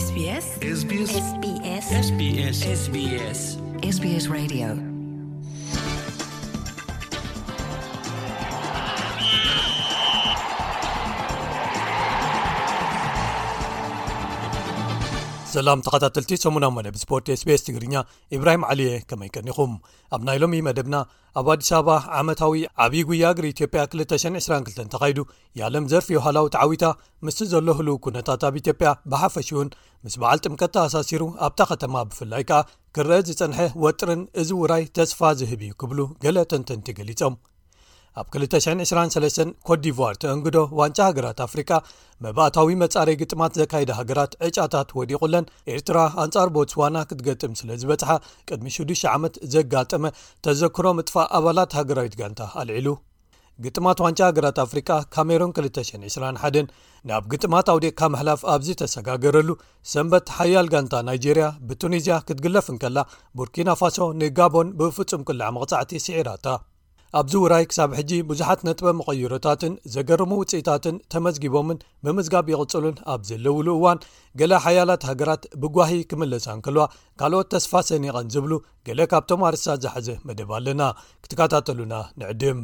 SBS SBS SBS SBS SBS SBS Radio. ሰላም ተኸታተልቲ ሰሙናዊ መደብ ስፖርት SBS ትግርኛ፣ ኢብራሂም ዓሊየ፣ ከመይ ቀኒኹም? ኣብ ናይ ሎሚ መደብና፣ ኣብ ኣዲስ ኣበባ ዓመታዊ ዓብዪ ጉያ እግሪ ኢትዮጵያ ክልተ ሽሕን ዕስራን ክልተን ተኻይዱ፣ የዓለም ዘርፊ ዮሃላዊ ተዓዊታ፣ ምስቲ ዘሎ ህሉው ኩነታት ኣብ ኢትዮጵያ ብሓፈሽውን ምስ በዓል ጥምቀት ተኣሳሲሩ ኣብታ ከተማ ብፍላይ ከኣ ክረአ ዝጸንሐ ወጥርን እዚ ውራይ ተስፋ ዝህብ እዩ ክብሉ ገለ ተንተንቲ ገሊጾም። ኣብ ክልተ ሽሕን ዕስራን ሰለስተን ኮትዲቯር ተእንግዶ ዋንጫ ሃገራት ኣፍሪቃ መባእታዊ መጻረይ ግጥማት ዘካይዳ ሃገራት ዕጫታት ወዲቑለን፣ ኤርትራ ኣንጻር ቦትስዋና ክትገጥም ስለ ዝበጽሓ ቅድሚ ሽዱሽተ ዓመት ዘጋጠመ ተዘክሮ ምጥፋእ ኣባላት ሃገራዊት ጋንታ ኣልዒሉ። ግጥማት ዋንጫ ሃገራት ኣፍሪቃ ካሜሩን ክልተ ሽሕን ዕስራን ሓደን ናብ ግጥማት ኣውዲቕካ ምሕላፍ ኣብ ዝተሰጋገረሉ ሰንበት ሓያል ጋንታ ናይጄርያ ብቱኒዝያ ክትግለፍ እንከላ ቡርኪና ፋሶ ንጋቦን ብፍጹም ቅላዕ መቕጻዕቲ ስዒራታ። ኣብዚ ውራይ ክሳብ ሕጂ ብዙሓት ነጥበ መቐይሮታትን ዘገርሙ ውጽኢታትን ተመዝጊቦምን ብምዝጋብ ይቕጽሉን ኣብ ዘለውሉ እዋን፣ ገለ ሓያላት ሃገራት ብጓሂ ክምለሳ እንከልዋ፣ ካልኦት ተስፋ ሰኒቐን ዝብሉ ገለ ካብቶም ኣርእስታት ዝሓዘ መደብ ኣለና። ክትከታተሉና ንዕድም።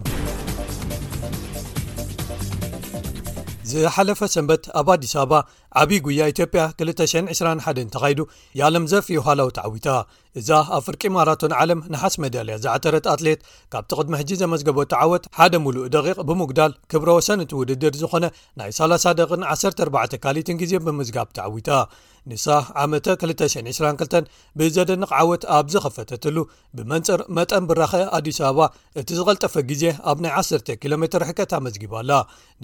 ዝሓለፈ ሰንበት ኣብ ኣዲስ ኣበባ ዓብዪ ጉያ ኢትዮጵያ ክልተ ሽሕን ዕስራን ሓደን ተኻይዱ፣ የዓለም ዘርፊ ዮሃላዊ ተዓዊታ። እዛ ኣብ ፍርቂ ማራቶን ዓለም ነሓስ ሜዳልያ ዝዓተረት ኣትሌት፣ ካብቲ ቅድሚ ሕጂ ዘመዝገበቶ ዓወት ሓደ ሙሉእ ደቂቕ ብምጉዳል ክብረ ወሰን እቲ ውድድር ዝኾነ ናይ ሰላሳ ደቂቕን ዓሰርተ ኣርባዕተ ካሊትን ግዜ ብምዝጋብ ተዓዊታ። ንሳ ዓመተ ክልተ ሽሕን ዕስራን ክልተን ብዘደንቕ ዓወት ኣብ ዝኸፈተትሉ፣ ብመንጽር መጠን ብራኸ ኣዲስ ኣበባ እቲ ዝቐልጠፈ ግዜ ኣብ ናይ ዓሰርተ ኪሎ ሜትር ርሕቀት ኣመዝጊባ ኣላ።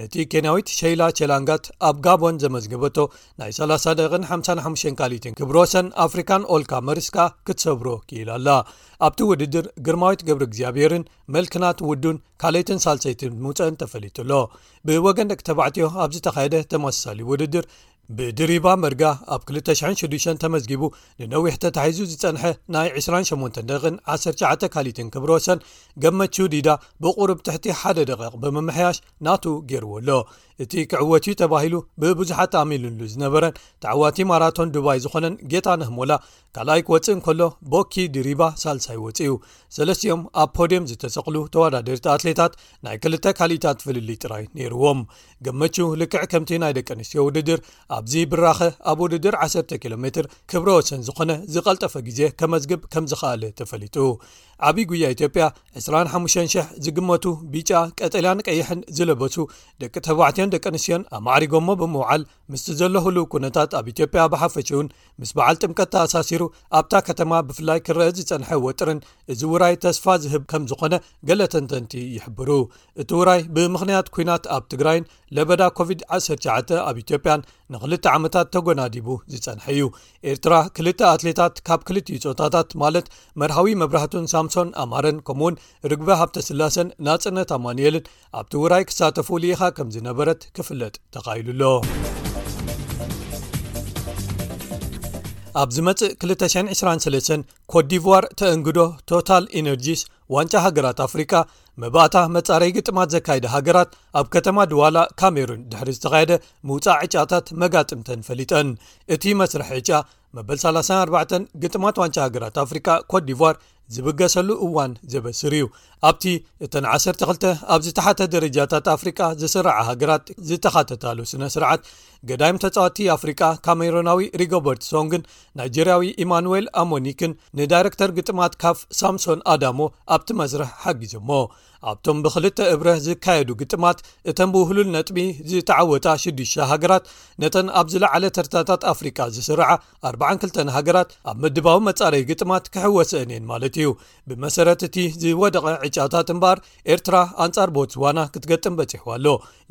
ነቲ ኬንያዊት ሸይላ ቸላንጋት ኣብ ጋቦን ዘመዝገበቶ ናይ ሰላሳ ደቂቕን ሓምሳን ሓሙሽተን ካሊትን ክብረ ወሰን ኣፍሪካን ኦልካ መሪስካ ክትሰብሮ ክኢላ ኣላ። ኣብቲ ውድድር ግርማዊት ገብረ እግዚኣብሔርን መልክናት ውዱን ካልኣይትን ሳልሰይትን ምውፀእን ተፈሊጡ ኣሎ። ብወገን ደቂ ተባዕትዮ ኣብ ዝተኻየደ ተመሳሳሊ ውድድር ብድሪባ መርጋ ኣብ ክልተ ሽሕን ሽዱሽተን ተመዝጊቡ ንነዊሕ ተታሒዙ ዝጸንሐ ናይ ዕስራን ሸሞንተን ደቂቕን ዓሰርተ ትሽዓተ ካሊትን ክብረ ወሰን ገመቹ ዲዳ ብቑሩብ ትሕቲ ሓደ ደቂቕ ብምምሕያሽ ናቱ ገይርዎ ኣሎ። እቲ ክዕወት እዩ ተባሂሉ ብብዙሓት ኣሚኑሉ ዝነበረን ተዓዋቲ ማራቶን ዱባይ ዝኾነን ጌታነህ ሞላ ካልኣይ ክወጽእ እንከሎ፣ ቦኪ ድሪባ ሳልሳይ ወጺኡ። ሰለስቲኦም ኣብ ፖድየም ዝተሰቕሉ ተወዳደርቲ ኣትሌታት ናይ ክልተ ካሊታት ፍልልይ ጥራይ ነይርዎም። ገመቹ ልክዕ ከምቲ ናይ ደቂ ኣንስትዮ ውድድር ኣብዚ ብራኸ ኣብ ውድድር ዓሰርተ ኪሎ ሜትር ክብረ ወሰን ዝኾነ ዝቐልጠፈ ግዜ ከመዝግብ ከም ዝኸኣለ ተፈሊጡ። ዓብዪ ጉያ ኢትዮጵያ ዕስራን ሓሙሽተን ሽሕ ዝግመቱ ቢጫ፣ ቀጠልያን ቀይሕን ዝለበሱ ደቂ ተባዕትዮን ደቂ ኣንስትዮን ኣማዕሪጎሞ ብምውዓል ምስቲ ዘሎ ህሉው ኩነታት ኣብ ኢትዮጵያ ብሓፈሽውን ምስ በዓል ጥምቀት ተኣሳሲሩ ኣብታ ከተማ ብፍላይ ክረአ ዝጸንሐ ወጥርን እዚ ውራይ ተስፋ ዝህብ ከም ዝኾነ ገለ ተንተንቲ ይሕብሩ። እቲ ውራይ ብምኽንያት ኲናት ኣብ ትግራይን ለበዳ ኮቪድ ዓሰርተ ትሽዓተ ኣብ ኢትዮጵያን ንኽልተ ዓመታት ተጎናዲቡ ዝጸንሐ እዩ። ኤርትራ ክልተ ኣትሌታት ካብ ክልቲኡ ጾታታት ማለት መርሃዊ መብራህቱን ሳምሶን ኣማረን ከምኡውን ርግበ ሃብተስላሰን ናጽነት ኣማኑኤልን ኣብቲ ውራይ ክሳተፉ ልኢኻ ከም ዝነበረት ክፍለጥ ተኻኢሉ ኣሎ። ኣብ ዝመጽእ ክልተ ሽሕን ዕስራን ሰለስተን ኮትዲቯር ተእንግዶ ቶታል ኢነርጂስ ዋንጫ ሃገራት ኣፍሪቃ መባእታ መጻረይ ግጥማት ዘካይዳ ሃገራት ኣብ ከተማ ድዋላ ካሜሩን ድሕሪ ዝተኻየደ ምውጻእ ዕጫታት መጋጥምተን ፈሊጠን። እቲ መስርሕ ዕጫ መበል ሰላሳን ኣርባዕተን ግጥማት ዋንጫ ሃገራት ኣፍሪቃ ኮትዲቯር ዝብገሰሉ እዋን ዘበስር እዩ። ኣብቲ እተን ዓሰርተ ክልተ ኣብ ዝተሓተ ደረጃታት ኣፍሪቃ ዝስርዓ ሃገራት ዝተኻተታሉ ስነ ስርዓት፣ ገዳይም ተጻወቲ ኣፍሪቃ ካሜሩናዊ ሪጎበርት ሶንግን ናይጀርያዊ ኢማኑዌል ኣሞኒክን ንዳይረክተር ግጥማት ካፍ ሳምሶን ኣዳሞ ኣብቲ መስርሕ ሓጊዞሞ። ኣብቶም ብክልተ እብረ ዝካየዱ ግጥማት እተን ብውህሉል ነጥቢ ዝተዓወታ ሽዱሽተ ሃገራት ነተን ኣብ ዝለዓለ ተርታታት ኣፍሪቃ ዝስርዓ ኣርባዓን ክልተን ሃገራት ኣብ ምድባዊ መጻረይ ግጥማት ክሕወሰአን እየን ማለት እዩ። ብመሰረት እቲ ዝወደቐ ዕጫታት እምበኣር ኤርትራ ኣንጻር ቦትስዋና ክትገጥም በጺሕዋ ኣሎ።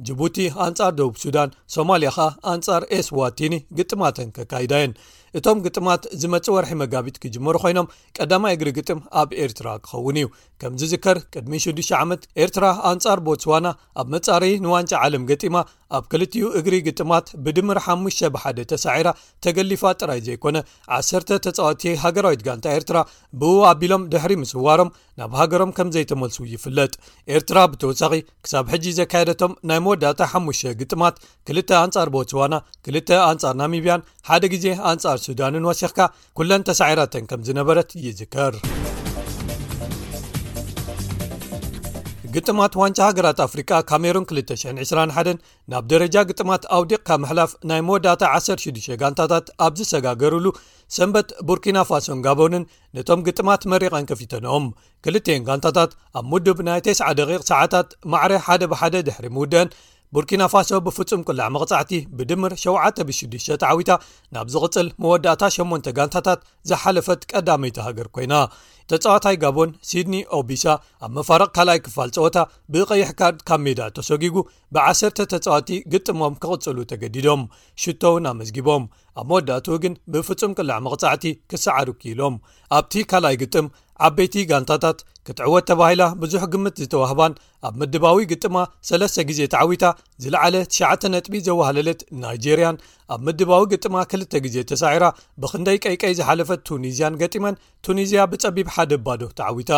ጅቡቲ ኣንጻር ደቡብ ሱዳን፣ ሶማልያ ኸኣ ኣንጻር ኤስዋቲኒ ግጥማተን ከካይዳ እየን። እቶም ግጥማት ዝመጽእ ወርሒ መጋቢት ክጅመሩ ኮይኖም ቀዳማይ እግሪ ግጥም ኣብ ኤርትራ ክኸውን እዩ። ከም ዝዝከር ቅድሚ ሽዱሽተ ዓመት ኤርትራ ኣንጻር ቦትስዋና ኣብ መጻረይ ንዋንጫ ዓለም ገጢማ ኣብ ክልቲኡ እግሪ ግጥማት ብድምር ሓሙሽተ ብሓደ ተሳዒራ ተገሊፋ ጥራይ ዘይኮነ፣ ዓሰርተ ተጻወትቲ ሃገራዊት ጋንታ ኤርትራ ብኡ ኣቢሎም ድሕሪ ምስዋሮም ናብ ሃገሮም ከም ዘይተመልሱ ይፍለጥ። ኤርትራ ብተወሳኺ ክሳብ ሕጂ ዘካየደቶም ናይ መወዳእታ ሓሙሽተ ግጥማት፣ ክልተ ኣንጻር ቦትስዋና፣ ክልተ ኣንጻር ናሚብያን ሓደ ግዜ ኣንጻር ሱዳንን ወሲኽካ፣ ኩለን ተሳዒራተን ከም ዝነበረት ይዝከር። ግጥማት ዋንጫ ሃገራት ኣፍሪቃ ካሜሩን ክልተ ሽሕን ዕስራን ሓደን ናብ ደረጃ ግጥማት ኣውዲቕካ ምሕላፍ ናይ መወዳእታ ዓሰርተ ሽዱሽተ ጋንታታት ኣብ ዝሰጋገሩሉ ሰንበት፣ ቡርኪና ፋሶን ጋቦንን ነቶም ግጥማት መሪቐን ከፊተንኦም። ክልቲኤን ጋንታታት ኣብ ምዱብ ናይ ተስዓ ደቂቕ ሰዓታት ማዕረ ሓደ ብሓደ ድሕሪ ምውደአን፣ ቡርኪና ፋሶ ብፍጹም ቅላዕ መቕጻዕቲ ብድምር ሸውዓተ ብሽዱሽተ ተዓዊታ ናብ ዝቕጽል መወዳእታ ሸሞንተ ጋንታታት ዝሓለፈት ቀዳመይቲ ሃገር ኮይና። ተጻዋታይ ጋቦን ሲድኒ ኦቢሳ ኣብ መፋረቕ ካልኣይ ክፋል ጸወታ ብቐይሕ ካርድ ካብ ሜዳ ተሰጊጉ፣ ብዓሰርተ ተጻወቲ ግጥሞም ክቕጽሉ ተገዲዶም። ሽቶ እውን ኣመዝጊቦም። ኣብ መወዳእትኡ ግን ብፍጹም ቅላዕ መቕጻዕቲ ክሰዓሩ ክኢሎም። ኣብቲ ካልኣይ ግጥም፣ ዓበይቲ ጋንታታት ክትዕወት ተባሂላ ብዙሕ ግምት ዝተዋህባን ኣብ ምድባዊ ግጥማ ሰለስተ ግዜ ተዓዊታ ዝለዓለ ትሽዓተ ነጥቢ ዘዋህለለት ናይጄርያን፣ ኣብ ምድባዊ ግጥማ ክልተ ግዜ ተሳዒራ ብኽንደይ ቀይቀይ ዝሓለፈት ቱኒዝያን ገጢመን፣ ቱኒዝያ ብጸቢብ ሓደ ባዶ ተዓዊታ።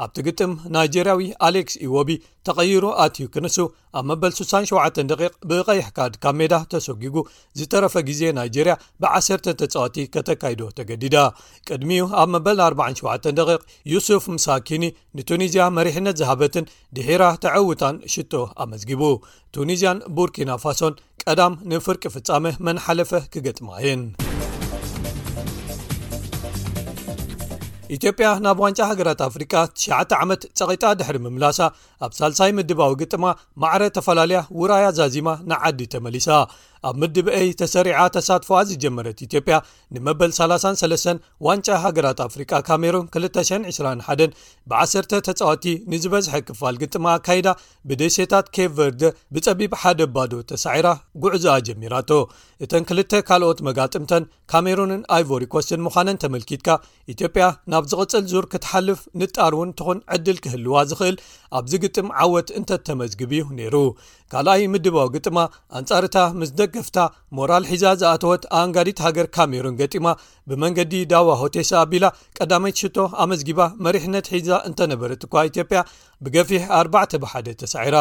ኣብቲ ግጥም፣ ናይጄርያዊ ኣሌክስ ኢዎቢ ተቐይሩ ኣትዩ ክንሱ፣ ኣብ መበል ስሳን ሸውዓተን ደቂቕ ብቐይሕ ካርድ ካብ ሜዳ ተሰጊጉ፣ ዝተረፈ ግዜ ናይጄርያ ብዓሰርተ ተጻወቲ ከተካይዶ ተገዲዳ። ቅድሚኡ ኣብ መበል ኣርባዓን ሸውዓተን ደቂቕ፣ ዩሱፍ ምሳኪኒ ንቱኒዝያ መሪሕነት ዝሃበትን ድሒራ ተዐውታን ሽቶ ኣመዝጊቡ። ቱኒዝያን ቡርኪና ፋሶን ቀዳም ንፍርቂ ፍጻመ መን ሓለፈ ክገጥማ እየን። ኢትዮጵያ ናብ ዋንጫ ሃገራት ኣፍሪቃ ትሽዓተ ዓመት ጸቒጣ ድሕሪ ምምላሳ፣ ኣብ ሳልሳይ ምድባዊ ግጥማ ማዕረ ተፈላለያ ውራያ ዛዚማ ንዓዲ ተመሊሳ። ኣብ ምድብ ኤ ተሰሪዓ ተሳትፎኣ ዝጀመረት ኢትዮጵያ፣ ንመበል ሰላሳን ሰለስተን ዋንጫ ሃገራት ኣፍሪቃ ካሜሩን ክልተ ሽሕን ዕስራን ሓደን ብዓሰርተ ተጻወቲ ንዝበዝሐ ክፋል ግጥማ ኣካይዳ፣ ብደሴታት ኬፕ ቨርደ ብጸቢብ ሓደ ባዶ ተሳዒራ ጉዕዞኣ ጀሚራቶ። እተን ክልተ ካልኦት መጋጥምተን፣ ካሜሩንን ኣይቮሪ ኮስትን ምዃነን ተመልኪትካ፣ ኢትዮጵያ ናብ ዝቕጽል ዙር ክትሓልፍ ንጣር እውን ትኹን ዕድል ክህልዋ ዝኽእል ኣብዚ ግጥም ዓወት እንተተመዝግብ እዩ ነይሩ። ካልኣይ ምድባዊ ግጥማ፣ ኣንጻርታ ምስ ደገፍታ ሞራል ሒዛ ዝኣተወት ኣንጋዲት ሃገር ካሜሩን ገጢማ፣ ብመንገዲ ዳዋ ሆቴሳ ኣቢላ ቀዳመይቲ ሽቶ ኣመዝጊባ መሪሕነት ሒዛ እንተነበረት እኳ፣ ኢትዮጵያ ብገፊሕ ኣርባዕተ ብሓደ ተሳዒራ።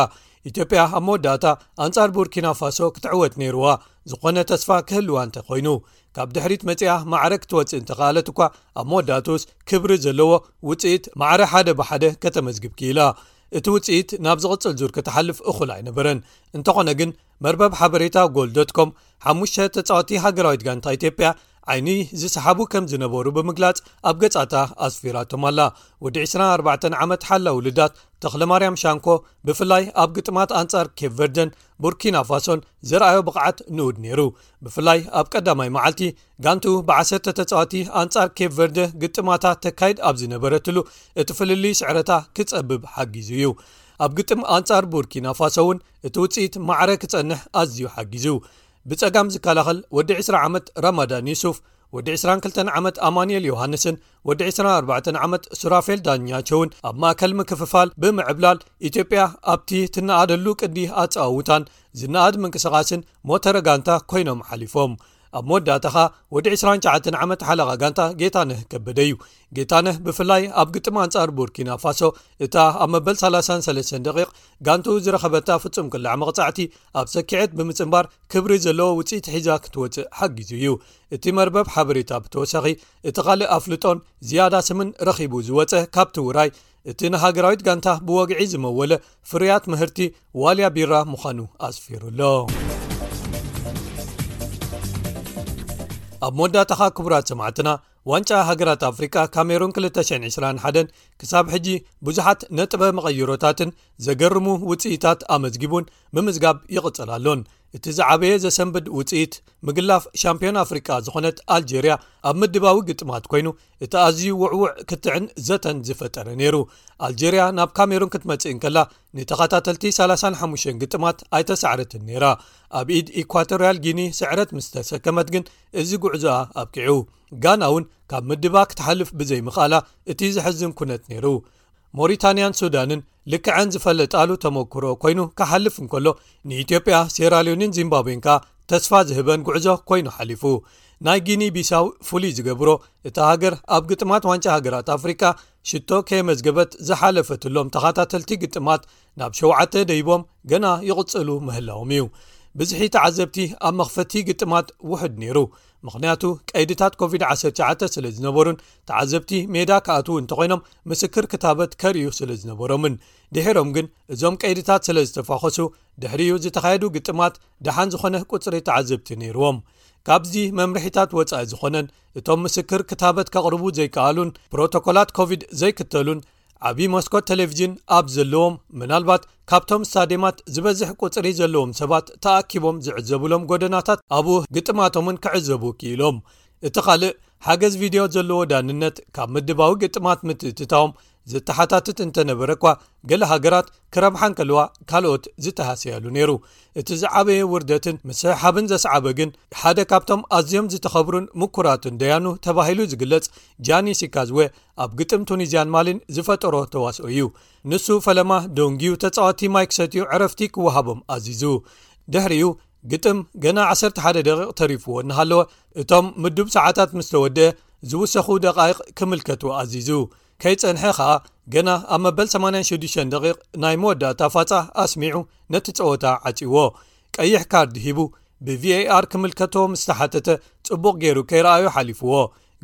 ኢትዮጵያ ኣብ መወዳእታ ኣንጻር ቡርኪና ፋሶ ክትዕወት ነይርዋ፣ ዝኾነ ተስፋ ክህልዋ እንተኾይኑ። ካብ ድሕሪት መጺኣ ማዕረ ክትወጽእ እንተኸኣለት እኳ፣ ኣብ መወዳእትኡስ ክብሪ ዘለዎ ውጽኢት ማዕረ ሓደ ብሓደ ከተመዝግብ ክኢላ። እቲ ውጽኢት ናብ ዝቕጽል ዙር ክትሓልፍ እኹል ኣይነበረን። እንተኾነ ግን፣ መርበብ ሓበሬታ ጎል ዶት ኮም ሓሙሽተ ተጻወቲ ሃገራዊት ጋንታ ኢትዮጵያ ዓይኒ ዝሰሓቡ ከም ዝነበሩ ብምግላጽ፣ ኣብ ገጻታ ኣስፊራቶም ኣላ። ወዲ ዕስራን ኣርባዕተን ዓመት ሓላው ልዳት፣ ተኽለማርያም ሻንኮ፣ ብፍላይ ኣብ ግጥማት ኣንጻር ኬፕ ቨርደን ቡርኪና ፋሶን ዘርኣዮ ብቕዓት ንኡድ ነይሩ። ብፍላይ ኣብ ቀዳማይ መዓልቲ፣ ጋንቱ ብዓሰርተ ተጻወቲ ኣንጻር ኬፕ ቨርደ ግጥማታ ተካይድ ኣብ ዝነበረትሉ፣ እቲ ፍልልይ ስዕረታ ክጸብብ ሓጊዙ እዩ። ኣብ ግጥም ኣንጻር ቡርኪና ፋሶ እውን እቲ ውጽኢት ማዕረ ክጸንሕ ኣዝዩ ሓጊዙ። ብጸጋም ዝከላኸል ወዲ ዕስራ ዓመት ረማዳን ዩሱፍ፣ ወዲ ዕስራን ክልተን ዓመት ኣማኑኤል ዮሃንስን ወዲ ዕስራን ኣርባዕተን ዓመት ሱራፌል ዳኛቸውን ኣብ ማእከል ምክፍፋል ብምዕብላል፣ ኢትዮጵያ ኣብቲ ትነኣደሉ ቅዲ ኣጸዋውታን ዝነኣድ ምንቅስቓስን ሞተረ ጋንታ ኮይኖም ሓሊፎም። ኣብ መወዳእታ ኸኣ፣ ወዲ ዕስራን ትሽዓተን ዓመት ሓለቓ ጋንታ ጌታነህ ከበደ እዩ። ጌታነህ ብፍላይ ኣብ ግጥም ኣንጻር ቡርኪና ፋሶ፣ እታ ኣብ መበል ሰላሳን ሰለስተን ደቂቕ ጋንቱ ዝረኸበታ ፍጹም ቅላዕ መቕጻዕቲ ኣብ ሰኪዐት ብምጽንባር፣ ክብሪ ዘለዎ ውጽኢት ሒዛ ክትወጽእ ሓጊዙ እዩ። እቲ መርበብ ሓበሬታ ብተወሳኺ፣ እቲ ካልእ ኣፍልጦን ዝያዳ ስምን ረኺቡ ዝወጸ ካብቲ ውራይ፣ እቲ ንሃገራዊት ጋንታ ብወግዒ ዝመወለ ፍርያት ምህርቲ ዋልያ ቢራ ምዃኑ ኣስፊሩ ኣሎ። ኣብ መወዳእታኻ፣ ክቡራት ሰማዕትና፣ ዋንጫ ሃገራት ኣፍሪቃ ካሜሩን ክልተ ሽሕን ዕስራን ሓደን ክሳብ ሕጂ ብዙሓት ነጥበ መቐይሮታትን ዘገርሙ ውጽኢታት ኣመዝጊቡን ምምዝጋብ ይቕጽል ኣሎን። እቲ ዝዓበየ ዘሰንብድ ውጽኢት፣ ምግላፍ ሻምፒዮን ኣፍሪቃ ዝኾነት ኣልጀርያ ኣብ ምድባዊ ግጥማት ኮይኑ፣ እቲ ኣዝዩ ውዕዉዕ ክትዕን ዘተን ዝፈጠረ ነይሩ። ኣልጀርያ ናብ ካሜሩን ክትመጽእ እንከላ፣ ንተኸታተልቲ ሰላሳን ሓሙሽተን ግጥማት ኣይተሳዕረትን ነይራ። ኣብ ኢድ ኢኳቶርያል ጊኒ ስዕረት ምስ ተሰከመት ግን፣ እዚ ጉዕዞኣ ኣብቂዑ። ጋና እውን ካብ ምድባ ክትሓልፍ ብዘይምኽኣላ፣ እቲ ዘሕዝን ኩነት ነይሩ። ሞሪታንያን ሱዳንን ልክዐን ዝፈለጣሉ ተመክሮ ኮይኑ ክሓልፍ እንከሎ፣ ንኢትዮጵያ፣ ሴራሊዮንን ዚምባብዌን ከኣ ተስፋ ዝህበን ጉዕዞ ኮይኑ ሓሊፉ። ናይ ጊኒ ቢሳው ፍሉይ ዝገብሮ፣ እታ ሃገር ኣብ ግጥማት ዋንጫ ሃገራት ኣፍሪቃ ሽቶ ከየመዝገበት ዝሓለፈትሎም ተኸታተልቲ ግጥማት ናብ ሸውዓተ ደይቦም ገና ይቕጽሉ ምህላዎም እዩ። ብዝሒ ተዓዘብቲ ኣብ መኽፈቲ ግጥማት ውሑድ ነይሩ። ምኽንያቱ ቀይድታት ኮቪድ ዓሰርተ ትሽዓተ ስለ ዝነበሩን ተዓዘብቲ ሜዳ ክኣትዉ እንተኾይኖም ምስክር ክታበት ከርእዩ ስለ ዝነበሮምን። ድሒሮም ግን እዞም ቀይድታት ስለ ዝተፋኸሱ ድሕሪኡ ዝተኻየዱ ግጥማት ደሓን ዝኾነ ቁጽሪ ተዓዘብቲ ነይርዎም። ካብዚ መምርሒታት ወጻኢ ዝኾነን እቶም ምስክር ክታበት ከቕርቡ ዘይከኣሉን ፕሮቶኮላት ኮቪድ ዘይክተሉን ዓቢ መስኮት ቴሌቪዥን ኣብ ዘለዎም፣ ምናልባት ካብቶም ስታድየማት ዝበዝሕ ቁጽሪ ዘለዎም ሰባት ተኣኪቦም ዝዕዘቡሎም ጎደናታት ኣብኡ ግጥማቶምን ክዕዘቡ ክኢሎም። እቲ ካልእ ሓገዝ ቪድዮ ዘለዎ ዳንነት ካብ ምድባዊ ግጥማት ምትእትታዎም ዝተሓታትት እንተነበረ እኳ፣ ገለ ሃገራት ክረብሓ እንከለዋ ካልኦት ዝተሃሰያሉ ነይሩ። እቲ ዝዓበየ ውርደትን ምስሕሓብን ዘስዓበ ግን ሓደ ካብቶም ኣዝዮም ዝተኸብሩን ምኩራትን ደያኑ ተባሂሉ ዝግለጽ ጃኒ ሲካዝወ ኣብ ግጥም ቱኒዝያን ማሊን ዝፈጠሮ ተዋስኦ እዩ። ንሱ ፈለማ ደንጊዩ ተጻወትቲ ማይ ክሰትዩ ዕረፍቲ ክወሃቦም ኣዚዙ። ድሕሪኡ ግጥም ገና ዓሰርተ ሓደ ደቂቕ ተሪፍዎ እናሃለወ እቶም ምዱብ ሰዓታት ምስ ተወድአ ዝውሰኹ ደቃይቕ ክምልከቱ ኣዚዙ። ከይጸንሐ ኸኣ ገና ኣብ መበል ሰማንያን ሽዱሽተን ደቂቕ ናይ መወዳእታ ፋጻ ኣስሚዑ ነቲ ጸወታ ዓጺዎ። ቀይሕ ካርድ ሂቡ ብቪኤኣር ክምልከቶ ምስ ተሓተተ ጽቡቕ ገይሩ ከይረኣዮ ሓሊፍዎ።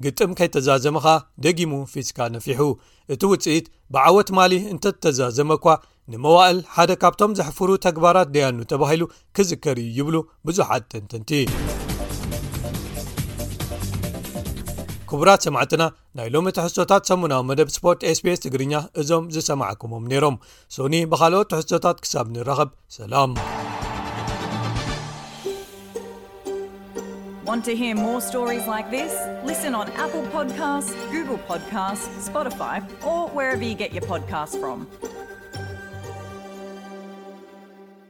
ግጥም ከይተዛዘመ ኸኣ ደጊሙ ፊስካ ነፊሑ። እቲ ውጽኢት ብዓወት ማሊ እንተተዛዘመ እኳ ንመዋእል ሓደ ካብቶም ዘሕፍሩ ተግባራት ደያኑ ተባሂሉ ክዝከር እዩ ይብሉ ብዙሓት ተንተንቲ። ክቡራት ሰማዕትና፣ ናይ ሎሚ ትሕዝቶታት ሰሙናዊ መደብ ስፖርት ኤስቢኤስ ትግርኛ እዞም ዝሰማዕኩሞም ነይሮም። ሶኒ ብኻልኦት ትሕዝቶታት ክሳብ ንራኸብ፣ ሰላም። Want to hear more stories like this? Listen on Apple Podcasts, Google Podcasts, Spotify, or wherever you get your podcasts from.